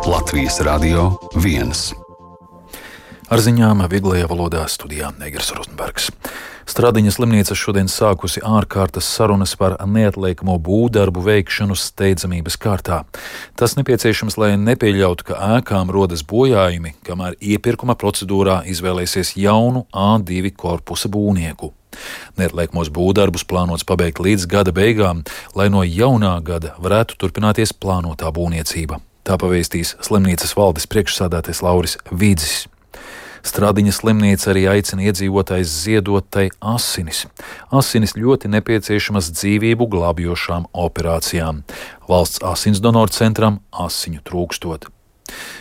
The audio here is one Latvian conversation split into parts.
Latvijas Radio 1. Ar ziņām vieglajā valodā studijā Negers Rozenbergs. Stradiņa slimnīca šodien sākusi ārkārtas sarunas par neatliekamo būvdarbu veikšanu steidzamības kārtā. Tas nepieciešams, lai nepieļautu, ka ēkām rodas bojājumi, kamēr iepirkuma procedūrā izvēlēsies jaunu A2 korpusa būvnieku. Neatliekamos būvdarbus plānots pabeigt līdz gada beigām, lai no jaunā gada varētu turpināties plānotā būvniecība. Tā pavēstīs slimnīcas valdes priekšsādātais Lauris Vīdzis. Stradiņa slimnīca arī aicina iedzīvotājus ziedot tai asinis. Asinis ļoti nepieciešamas dzīvību glābjošām operācijām. Valsts asinsdonoru centram asiņu trūkstot.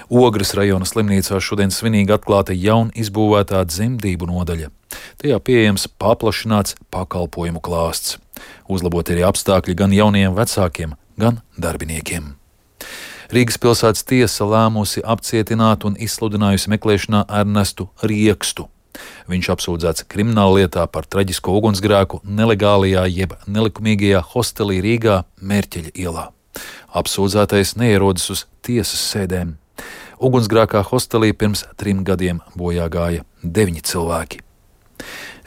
Ogres rajona slimnīcā šodien svinīgi atklāta jaun izbūvētā dzemdību nodaļa. Tajā pieejams paplašināts pakalpojumu klāsts. Uzlabot arī apstākļi gan jauniem vecākiem, gan darbiniekiem. Rīgas pilsētas tiesa lēmusi apcietināt un izsludinājusi meklēšanā Ernestu Riekstu. Viņš apsūdzēts krimināllietā par traģisko ugunsgrēku nelegālajā jeb nelikumīgajā hostelī Rīgā Mērķeļa ielā. Apsūdzētais neierodas uz tiesas sēdēm. Ugunsgrēkā hostelī pirms 3 gadiem bojā gāja 9 cilvēki.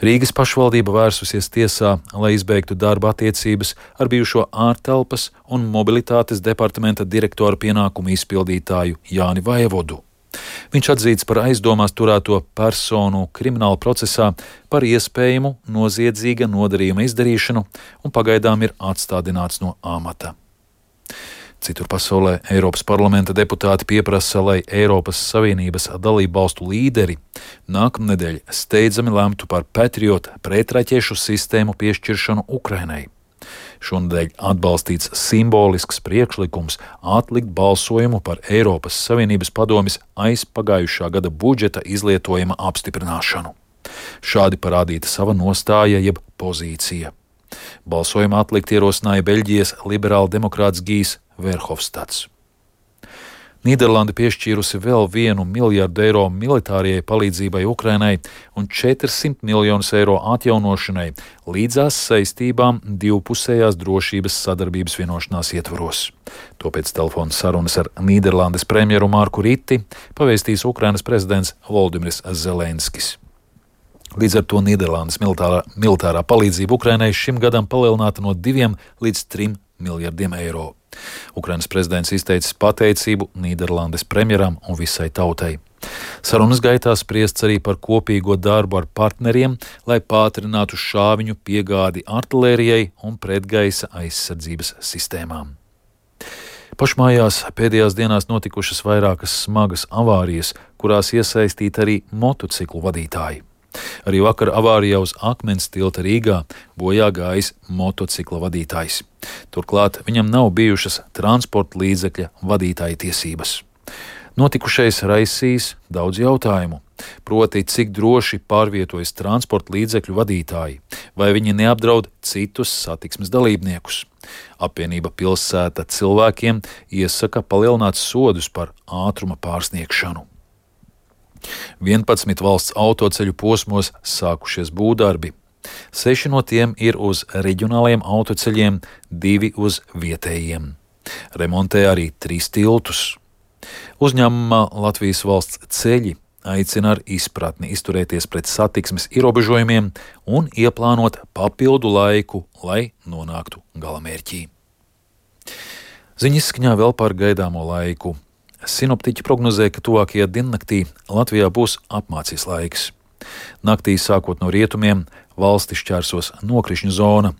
Rīgas pašvaldība vērsusies tiesā, lai izbeigtu darba attiecības ar bijušo ārtelpas un mobilitātes departamenta direktora pienākumu izpildītāju Jāni Vaivodu. Viņš atzīts par aizdomās turēto personu krimināla procesā par iespējamu noziedzīga nodarījuma izdarīšanu un pagaidām ir atstādināts no amata. Citur pasaulē Eiropas parlamenta deputāti pieprasa, lai Eiropas Savienības dalību valstu līderi nākamnedēļ steidzami lemtu par Patriot pretraķešu sistēmu piešķiršanu Ukrainai. Šonedēļ atbalstīts simbolisks priekšlikums atlikt balsojumu par Eiropas Savienības padomes aizpagājušā gada budžeta izlietojuma apstiprināšanu. Šādi parādīta sava nostāja jeb pozīcija. Balsojumu atlikt ierosināja Beļģijas liberāldemokrāts Gijs Verhofstads. Nīderlande piešķīrusi vēl 1 miljardu eiro militārajai palīdzībai Ukrainai un 400 miljonus eiro atjaunošanai līdzās saistībām divpusējās drošības sadarbības vienošanās ietvaros. To pēc telefona sarunas ar Nīderlandes premjeru Marku Riti pavēstīs Ukrainas prezidents Volodimirs Zelenskis. Līdz ar to Nīderlandes militārā palīdzība Ukrainai šim gadam palielināta no 2 līdz 3 miljardiem eiro. Ukrainas prezidents izteicis pateicību Nīderlandes premjeram un visai tautai. Sarunas gaitā spriests arī par kopīgo darbu ar partneriem, lai pātrinātu šāviņu piegādi artilērijai un pretgaisa aizsardzības sistēmām. Pašmājās pēdējās dienās notikušas vairākas smagas avārijas, kurās iesaistīti arī motociklu vadītāji. Arī vakar avārijā uz Akmens tilta Rīgā bojā gājis motocikla vadītājs. Turklāt viņam nav bijušas transporta līdzekļa vadītāja tiesības. Notikušais raisīs daudz jautājumu, proti cik droši pārvietojas transporta līdzekļu vadītāji, vai viņi neapdraud citus satiksmes dalībniekus. Apvienība Pilsēta cilvēkiem iesaka palielināt sodus par ātruma pārsniegšanu. 11 valsts autoceļu posmos sākušies būvdarbi. 6 no tiem ir uz reģionāliem autoceļiem, 2 uz vietējiem. Remontē arī 3 tiltus. Uzņēmumā Latvijas valsts ceļi aicina ar izpratni izturēties pret satiksmes ierobežojumiem un ieplānot papildu laiku, lai nonāktu galamērķī. Ziņas skaņā vēl par gaidāmo laiku. Sinoptiķi prognozē, ka tuvākajā diennaktī Latvijā būs apmācies laiks. Naktī sākot no rietumiem valsti šķērsos nokrišņu zona.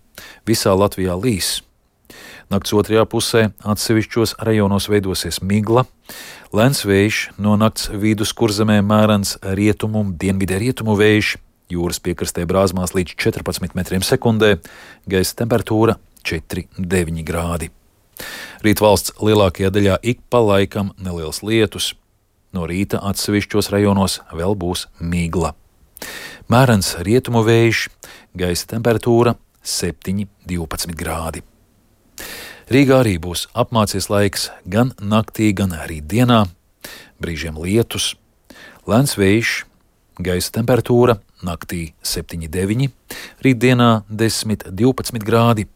Visā Latvijā līs. Nakts otrajā pusē atsevišķos rajonos veidosies migla. Lēns vējš no nakts vidus kurzemē mērens rietumu, dienvidē rietumu vējš, jūras piekrastē brāzmās līdz 14 metriem sekundē, gaisa temperatūra 4,9 grādi. Rīt valsts lielākajā daļā ik pa laikam neliels lietus. No rīta atsevišķos rajonos vēl būs migla. Mērens rietumu vējš, gaisa temperatūra 7,12 grādi. Rīgā arī būs apmācies laiks gan naktī, gan arī dienā. Brīžiem lietus, lēns vējš, gaisa temperatūra naktī 7,9, rītdienā 10,12 grādi.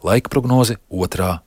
Laika prognoze 2.